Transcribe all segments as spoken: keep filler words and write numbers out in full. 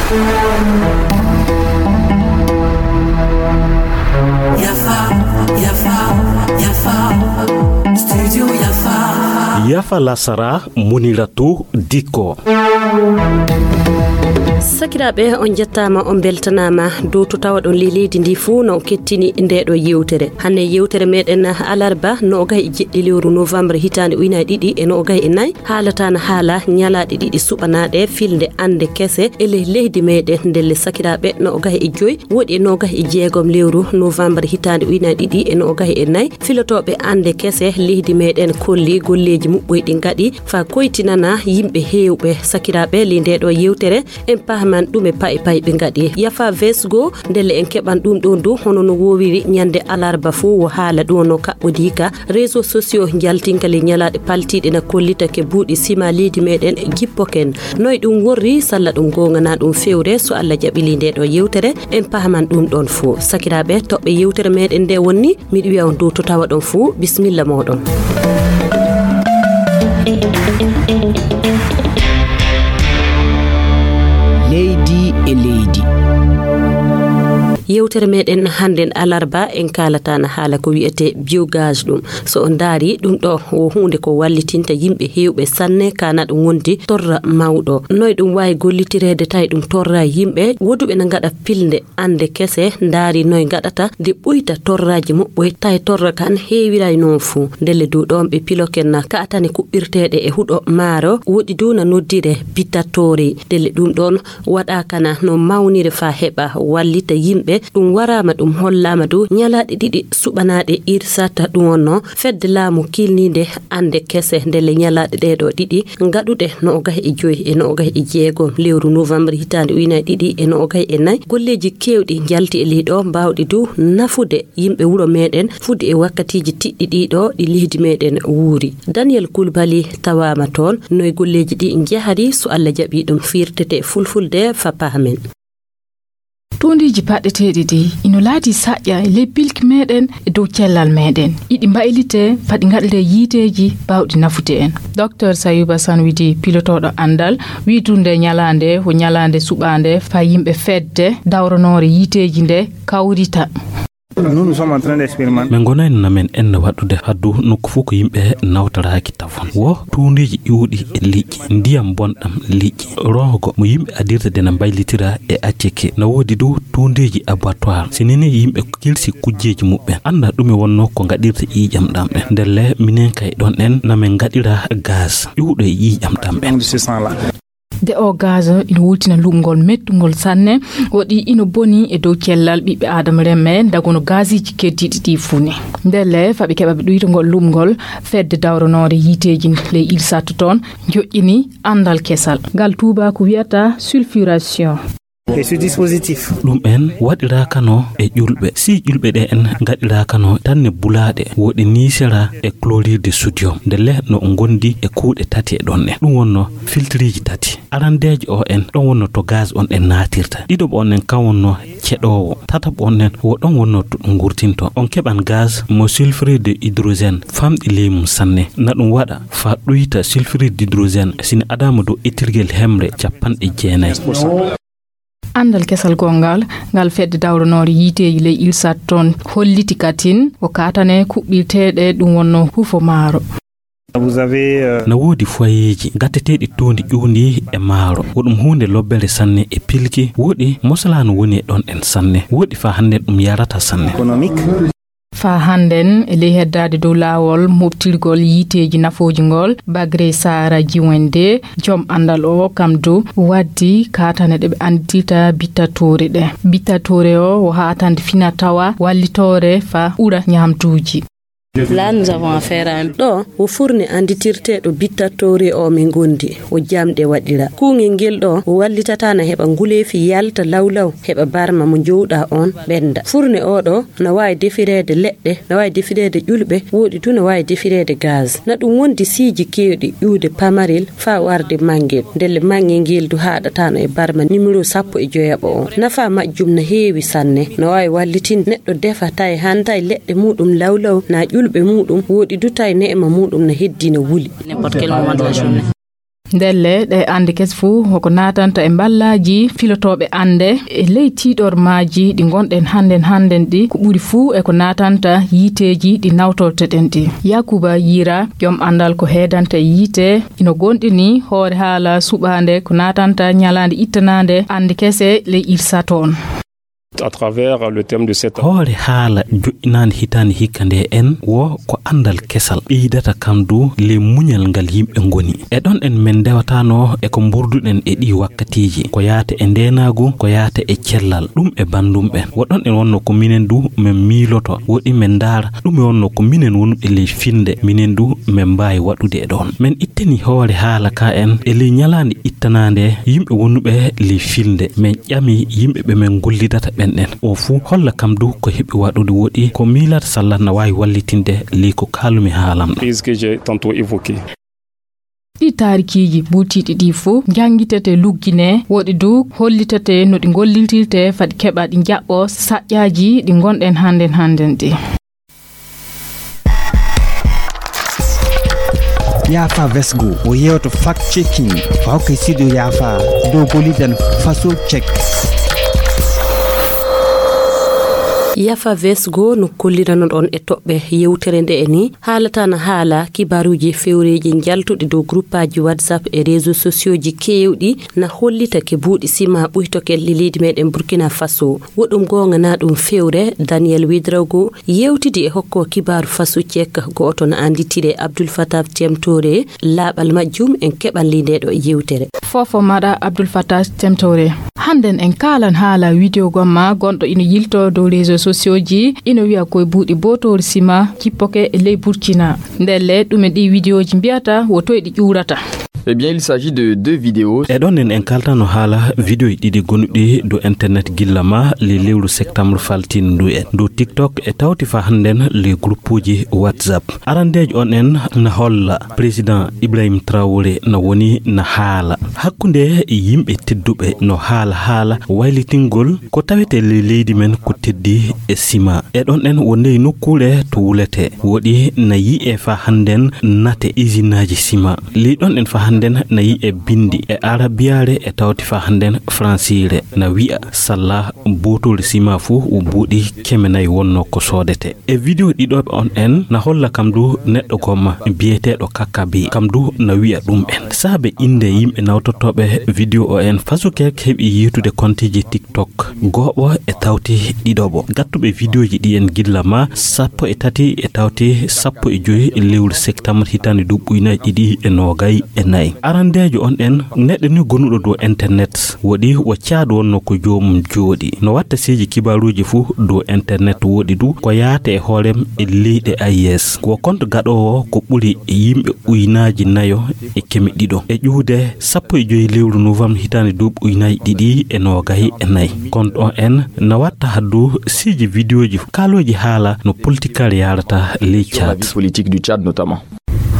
Yafa, yafa, yafa. Studio Yafa. Yafa lasara, Muniratu Dikko. Sakiraaɓe, on njettaama, on mbeltanaama dow to tawaɗon ley leydi ndi fuu no kettini ndeeɗo yewtere. Hannde yewtere meɗen alarba noogay e jeɗɗi lewru novembre hitaande ujunaaji ɗiɗi e noogay e nayi haalata na haala ñalaaɗe ɗiɗi suɓanaaɗe filnde annde kese e ley leydi meɗen. Ndelle sakiraaɓe, noogay e joy woɗi e noogay e jeegom lewru novembre hitaande ujunaaji ɗiɗi e noogay e nayi, filotooɓe annde kese leydi meɗen kolli golleeji muɓɓoy ɗi ngaɗi faa koytinana yimɓe heewɓe. Sakiraaɓe, ley ndeeɗo yewtere en pahman ɗume payi payi ɓe ngaɗi. Yafa vesgo, ndelle en keɓan ɗum ɗon du hono no woowiri ñande alarba fuu, wo haala ɗum no kaɓɓodii ka réseaux sociaux njaltinka ley ñalaaɗe paltiiɗe na kollita ke buuɗi sima leydi meɗen jippoken. Noy ɗum worri, salla ɗum goonga na ɗum fewre, so Allah jaɓi ley ndeeɗo yewtere en pahman ɗum ɗon fuu. Sakiraaɓe, toɓɓe yewtere meɗen nde wonni, miɗo wiya on dow to tawaɗon fuu, bisimilla mooɗon. Leydi e leydi. Yewtere meɗen hannden alarba en kaalata na haala ko wiyetee biogaz ɗum. So on ndaari ɗum ɗo, wo huunde ko wallitinta yimɓe heewɓe sanne, kana ɗum wondi torra mawɗo. Noy ɗum waawi gollitireede tawi ɗum torra yimɓe? Woduɓe na ngaɗa pilnde annde kese, ndaari noy ngaɗata nde ɓuyta torraaji muɓɓoy tawi torra kan heewiray noon fuu. Ndelle dow ɗoon ɓe piloken na kaatane kuɓɓirteeɗe e huɗo maaro, woɗi dow na noddire bitattoore. Ndelle ɗum ɗoon waɗaaka na no mawnire faa heɓa wallita yimɓe. Ɗum waraama, ɗum hollaama dow ñalaaɗe ɗiɗi suɓanaaɗe irsata ɗum wonnoo fedde laamu kiilniinde annde kese ndelle ñalaaɗe ɗee ɗoo ɗiɗi ngaɗuɗe noogay e joy e noogay e jeegom lewru novembre hitaande ujunaaji ɗiɗi e noogay e nayi. Golleeji keewɗi njalti e ley ɗoo mbaawɗi dow nafude yimɓe wuro meɗen fudde e wakkatiiji tiɗɗi ɗiɗo ɗi leydi meɗen wuuri. Daniel Koulibaly tawaama toon. Noy golleeji ɗi njahari? So Allah jaɓi ɗum firtete fulfulde faa pahamen. Tuundiiji paɗɗeteeɗi ɗi ino laati saƴƴa e ley pilki meɗen e dow cellal meɗen. Iɗi mbaylite faa ɗi ngaɗiree yiiteeji baawɗi nafude en. Docteur Sayuba Sanwidi, pilotooɗo anndal, wiyi tunde ñalaande ko ñalaande suɓaande faa yimɓe fedde dawranoore yiiteeji nde kawrita. Nous, nous sommes en train d'expérimenter. Min ngonayno namen enne waɗude haddu nokku fof ko yimɓe nawtoraaki tafon. Wo tuundeeji ƴuuɗi e liƴƴi, ndiyam bonɗam liƴƴi, roogo mo yimɓe adirta de na mbaylitira e acceke. Na woodi dow tuundeeji abattoir. Si nini yimɓe kilsi kujjeeji muɓɓen. Annda ɗume wonnoo ko ngaɗirta ƴiiƴam ɗam ɓen. Ndelle minen kay ɗon en namen ngaɗira gaz ƴuuɗo e ƴiiƴam ɗam ɓen. De o gaz ina wultina luɓngol mettungol sanne, woɗi ina boni e dow cellal ɓiɓɓe Aadama remme, dagono gaziji keddiɗi ɗi fuu ne. Ndelle, faa ɓe keɓa ɓe ɗuytagol luɓngol, fedde dawranoore yiiteeji ley Ilsat toon joƴƴini anndal kesal. Ngal tuubaaku wiyata sulfuration. Et ce dispositif. Ɗum en waɗiraakano e ƴulɓe. Si ƴulɓe ɗe en ngaɗiraakano tan ne bulaaɗe, woɗi niisera e chlorure de sodium. Ndelle no ngondi e kuuɗe tati e ɗon en. Ɗum wonno filtreeji tati. Arandeejo o en, ɗon wonno to gaz on en naatirta. Ɗiɗoɓo on en kan wonno ceɗoowo. Tataɓo on en wo ɗon wonno to ɗum ngurtinto. On keɓan gaz mo sulfure de hydrogène, famɗi ley mum sanne. Na ɗum waɗa faa ɗuyta sulfure d'hydrogène, si ne adaama dow etirgel hemre capanɗe jeenayi. Anndal kesal gonngal, ngal fedde dawranoore yiiteeji ley Ilsat toon holliti katin ko kaatane kuɓɓirteeɗe ɗum wonno hufo maaro. Vous avez, euh, na woodi foyeeji gatteteeɗi tuundi ƴuundi e maaro. Ko ɗum huunde lobbere sanne e pilki. Woɗi mosalaano woni e ɗon en sanne. Woɗi faa hannde ɗum yarata sanne. Économique. Faa hannden, e ley heddaade dow laawol moftirgol yiiteeji nafooji ngol, Bagre Sahara Jiwende, joom anndal o, kam dow waddi kaatane ɗe ɓe anndirta bittatoore ɗe. Bittatoore o, o haatande fina tawa wallitoore faa ɓura ñaamduuji. Là, nous avons affaire à un... Ɗo, wo furne annditirteeɗo bittatoore o min ngondi, wo jamɗe waɗira. Kuungel ngel ɗo, wo wallitata na heɓa nguleefi yalta lawlaw, heɓa barma mo njowɗa on ɓennda. Furne o ɗo, na waawi defireede leɗɗe, na waawi defireede ƴulɓe, woɗi du na waawi defireede gaz. Na ɗum wondi siiji keewɗi ƴuwde pamarel faa warde manngel. Ndelle manngel ngel du haaɗataano e barma nimero sappo e joyaɓo o. Nafaa majjum na heewi sanne. Na waawi wallitinde neɗɗo defa tawi hanta e leɗɗe muuɗum lawlaw, na ƴulɓe muuɗum, woɗi du tawi neema muuɗum na heddii na wuli. N'importe quel moment de la journée. Ndelle, ɗe annde kese fuu ko ko naatanta e mballaaji filotooɓe annde e ley tiiɗormaaji ɗi ngonɗen hannden hannden ɗi, ko ɓuri fuu e ko naatanta yiiteeji ɗi nawtorteɗen ɗi. Yakuba Yira, joom anndal ko heedanta e yiite, ino goonɗini hoore haala suɓaande ko naatanta ñalaande ittanaande annde kese ley IRSA toon. Hoore haala joɗɗinaande hitaande hikka nde en wo ko anndal kesal ɓeydata kam du ley muñal ngal yimɓe ngoni. E ɗon en men ndewatano e ko mburduɗen e ɗi wakkatiiji, ko yaata e ndeenaagu, ko yaata e cellal, ɗum e banndum ɓen. Wo ɗon en wonno ko minen du men miiloto, woɗi men ndaara, ɗum e wonno ko minen wonuɓe ley filnde, minen du men mbaawi waɗude e ɗon. Men ittani hoore haala ka en e ley ñalaande ittanaande yimɓe wonuɓe ley filnde, men ƴami yimɓe ɓe men gollidata ɓen ɗen. O fuu holla kam du ko heɓi waɗude woɗi ko miilata salla na waawi wallitinde ley ko kaalumi haalam ɗo. Ɗi taarikiiji buutiiɗi ɗi fuu njanngitete lugginee, woɗi du hollitete no ɗi ngollintirte fadi keɓa ɗi njaɓɓo saƴƴaaji ɗi ngonɗen hannden hannden ɗi. Yaafa Vesgo o yewto fact checking fawkay sido yaafa dow golidan faso check. Yafa Vesgo no kollirano ɗon e toɓɓe yewtere nde e ni haalata na haala kibaruuji fewreeji njaltuɗi dow gruppaaji WhatsApp e réseaux sociaux ji keewɗi na hollita ke buuɗi sima ɓuytokel li leydi meɗen Burkina Faso. Woɗum goonga na ɗum fewre Daniel Widrago yewtidi e hokko kibaaru fasu cek gooto na annditire Abdul Fatah Temtore. Laaɓal majjum en keɓan li nde ɗo yewtere. Fofo maɗa Abdul Fatah Temtore. Hannden en kaalan haala widewo gomma gonɗo ina yilto dow réseaux sociaux ji ina wiya koye buuɗi bootoori sima jippoke e ley Burkina. Ndelle ɗume ɗi widewoji mbiyata wo toye ɗi ƴuurata? Eh bien, il s'agit de deux vidéos. E ɗon en en kaltano haala vidéo ɗiɗi gonuɗi dow internet gilla ma le lewru septembre faltin ndu en dow TikTok e tawti fa hannden le groupuji WhatsApp. Arandeejo on en na holla président Ibrahim Traoré na woni na haala hakkunde yimɓe tedduɓe no haala haala waylitingol ko tawete le leydi men ko teddi e sima. E ɗon en wonde nokkuure to wulete woɗi na yi'e fa hannden nate isinaaji sima. Ley ɗon en fa hannden na yi'e bindi e arabiyaare e tawti fa hannden fransiire na wi'a salla bootol sima fuu wo buuɗi keme nayi wonno ko soodete. E video ɗiɗoɓe on en na holla kam du neɗɗo gomma biyeteeɗo Kakkabi kam du na wi'a ɗum en. Saabe innde yimɓe nawtotooɓe video o en fasu kek heɓi yiitude konteji TikTok gooɓo e tawti ɗiɗoɓo. Gattuɓe videoji ɗi en gilla ma sappo e tati e tawti sappo e joyi lewru septembre hitaande duuɓi ujunaaji ɗiɗi e noogay e nayi. Arandeejo on en neɗɗo ni gonuɗo dow internet woɗi wo caadu wonno ko joomum jooɗi. No watta seeji kibaaruuji fuu dow internet woɗi du ko yaata e hoorem e leyɗe A E S. Ko compte gaɗoowo ko ɓuri yimɓe ujunaaji nayo e keme ɗiɗo. E ƴuwde sappo e joyi lewru novembre hitaande duuɓi ujunaaji ɗiɗi e noogay e nayi. Compte on en na watta haddu seeji videoji kaalooji haala no politikal yaarata ley Tchad.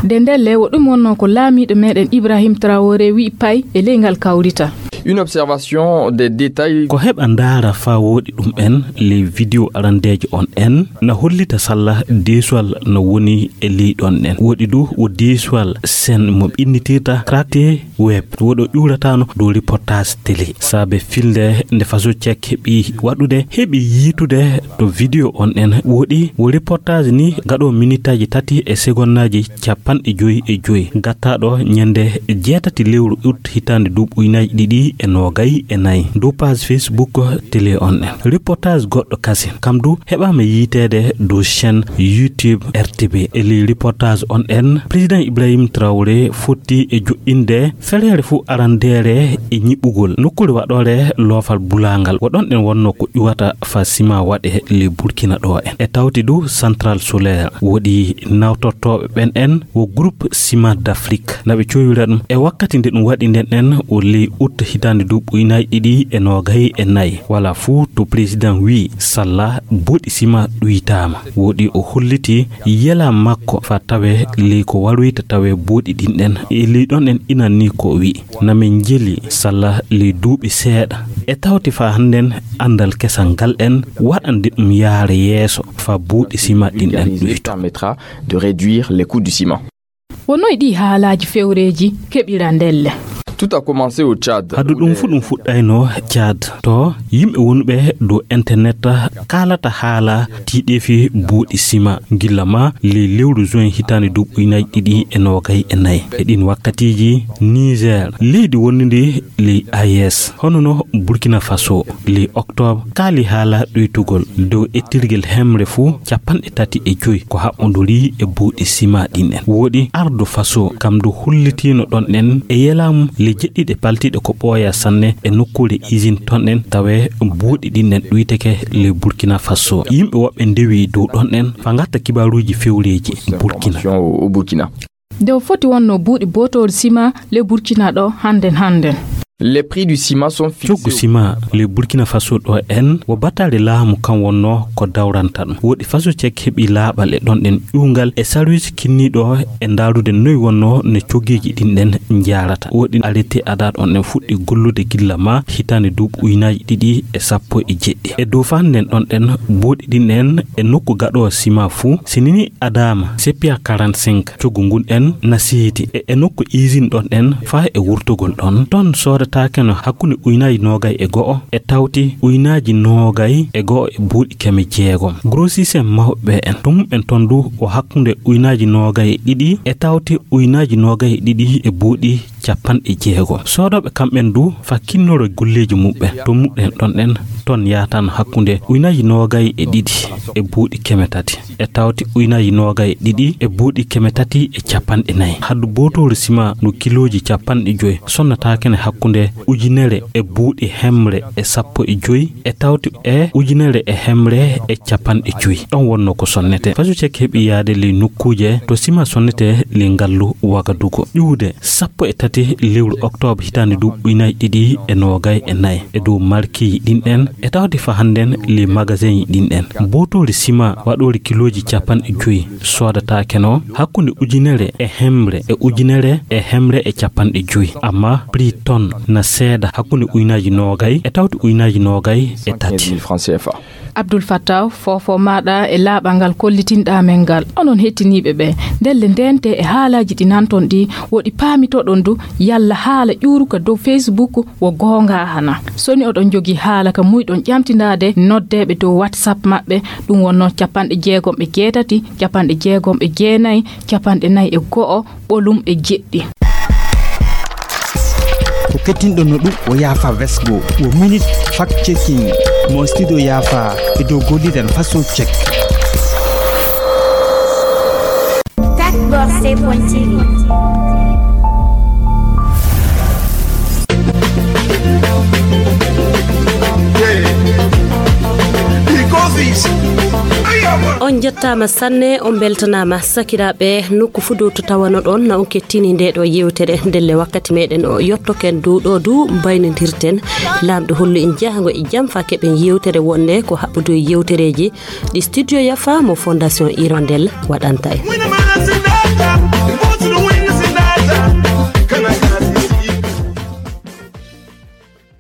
De ndelle wo ɗum wonno ko laamiiɗo meɗen Ibrahim Traoré wi'i pay e ley ngal kawrita. Une observation des détails. Ko heɓa ndaara faa wooɗi ɗum en ley video arandeejo on en na hollita salla deesuwal no woni e ley ɗon en. Woɗi du wo deesuwal sen mo ɓinnitirta craqué web woɗo ƴuuratano dow reportage télé. Saabe filnde nde faso cek heɓi waɗude heɓi yiitude to video on en woɗi wo reportage ni gaɗo minitaji tati e segonnaaji capanɗe joyi e joyi gattaɗo ñande jeetati lewru ut hitaande duuɓi ujunaaji ɗiɗi e noogay e nayi dow page Facebook télé on en. Reportage goɗɗo kasi kam du heɓaama yiiteede dow chaîne YouTube R T B. E ley reportage on en président Ibrahim Traoré fotti e joɗɗinde fereere fuu arandeere e ñiɓɓugol nokkuure waɗoore loofal bulaangal wo ɗon en wonno ko ƴuwata fa sima waɗe ley Burkina ɗo en. E tawti du central solaire woɗi nawtortooɓe ɓen en wo groupe Ciment d'Afrique na ɓe cowira ɗum e wakkati nde ɗum waɗi nden en o ley ut hitaande duuɓi ujunaaji ɗiɗi e noogay e nayi wala fuu to président wi salla boɗi sima ɗuytaama. Woɗi o holliti yela makko fa tawe ley ko waroyta tawe boɗi ɗin ɗen e ley ɗon en inan ni ko o wi na min njeli salla ley duuɓi seeɗa e tawti fa hannden anndal kesal ngal en waɗande ɗum yaara yeeso fa buuɗi sima ɗin ɗen ɗuyto. De réduire les coûts du ciment. Wonoy ɗi haalaaji fewreeji keɓira ndelle. Tout a commencé au Tchad. Hadu ɗum fu ɗum fuɗɗayno Tchad. To yimɓe wonɓe dow internet kaalata haala tiiɗeefi buuɗi sima gilla ma ley lewru juin hitaande duuɓi ujunaaji ɗiɗi e noogay e nayi. E ɗin wakkatiiji, Niger, leydi wonndi ley A E S, hono no Burkina Faso, ley octobre, kaali haala ɗoytugol dow ettirgel hemre fuu capanɗe tati e joy ko haɓɓondorii e buuɗi sima ɗin en. Wooɗi ardo Faso, kam du hullitiino ɗon ɗen e yelaamu le jeɗɗiɗe paltiiɗe ko ɓooya sanne e nokkuure usine ton ɗen, tawe buuɗi ɗin ɗen ɗuyteke le Burkina Faso. Yimɓe woɓɓe ndewi dow ɗon ɗen fa ngatta kibaaruuji fewreeji Burkina. Information au, au Burkina. Nde o foti wonno buuɗi bootoori sima le Burkina ɗo hannden hannden. Les prix du ciment sont fixés. Coggu sima le Burkina Faso ɗo en wo batare laamu kan wonno ko dawranta ɗum. Woɗi Faso Cek heɓi laaɓal e ɗon ɗen ƴuwngal e sarwis kinniiɗo e ndaarude noy wonno no coggeeji ɗin ɗen njaarata. Woɗi arrêté ada ɗon ɗen fuɗɗi gollude gilla ma hitaande duuɓi ujunaaji ɗiɗi e sappo e jeɗɗi. E dow fa hannden ɗon ɗen buuɗi ɗin en e nokku gaɗoowo sima fuu, si nini adaama seppiya quarante-cinq coggu ngun en na seedi e, e nokku usine ɗon en faa e wurtugol ɗon. Ton soodataake no hakkunde ujunaaji noogay e go'o e tawti ujunaaji noogay e go'o e buuɗi keme jeegom. Grossiste en mawɓe en to mum en ton du o hakkunde ujunaaji noogay e ɗiɗi e tawti ujunaaji noogay e ɗiɗi e buuɗi capanɗe jeego. Soodooɓe kamɓen du fa kinnoro golleeji muɓɓen to muɗɗen ɗon ɗen ton yaatan hakkunde ujunaaji noogay e ɗiɗi e buuɗi keme tati e tawti ujunaaji noogay e ɗiɗi e buuɗi keme tati e capanɗe nayi. Haddu bootoori sima ndu kilooji capanɗe joy sonnataake ne hakkunde ujunere e buuɗi hemre e sappo e joy e tawti e ujunere e hemre e capanɗe joy. Ɗon wonno ko sonnete. Faso Cek heɓi yaade ley nokkuuje to sima sonnete ley ngallu Wagadugu. Ƴuwde sappo e tati lewru oktoobre hitaande duuɓi ujunaaji ɗiɗi e noogay e nayi e dow markiiji ɗin ɗen e tawde fa hannden ley magasinji ɗin ɗen. Bootoori sima waɗoori kilooji capanɗe joy soodataake no hakkunde ujunere e hemre e ujunere e hemre e capanɗe joy. Amma prix ton na seeda hakkunde ujunaaji noogay e tawde ujunaaji noogay e tati. Abdul Fattaw, foofo maaɗa e laaɓal ngal kollitinɗaa men ngal. Onon hettiniiɓe ɓe, ndelle ndeente e haalaaji ɗi nanton ɗi, woɗi paamitoɗon du, yalla haala ƴuuruka dow Facebook wo goonga hana. Soni oɗon njogii haala ka muyɗon ƴamtindaade noddeeɓe dow WhatsApp maɓɓe, ɗum wonno capanɗe jeegom e jeetati, capanɗe jeegom e jeenayi, capanɗe nayi e go'o, ɓolum e jeɗɗi. Ko kettinɗo no ɗum o yaafa vesgo wo minute fact checking mo studio yaafa e dow golliren façon check. Tech Box point T V. On njettaama sanne, on mbeltanaama sakiraaɓe nokku fuu dow to tawanoɗon na on kettini nde ɗo yewtere. Ndelle wakkati meɗen o yottoken dow ɗo du mbaynodirten. Laamɗo hollu en jahango e jam fa keɓen yewtere wonde ko haɓɓudu e yewtereeji ɗi studio Yafa mo Fondation Hirondelle waɗanta en.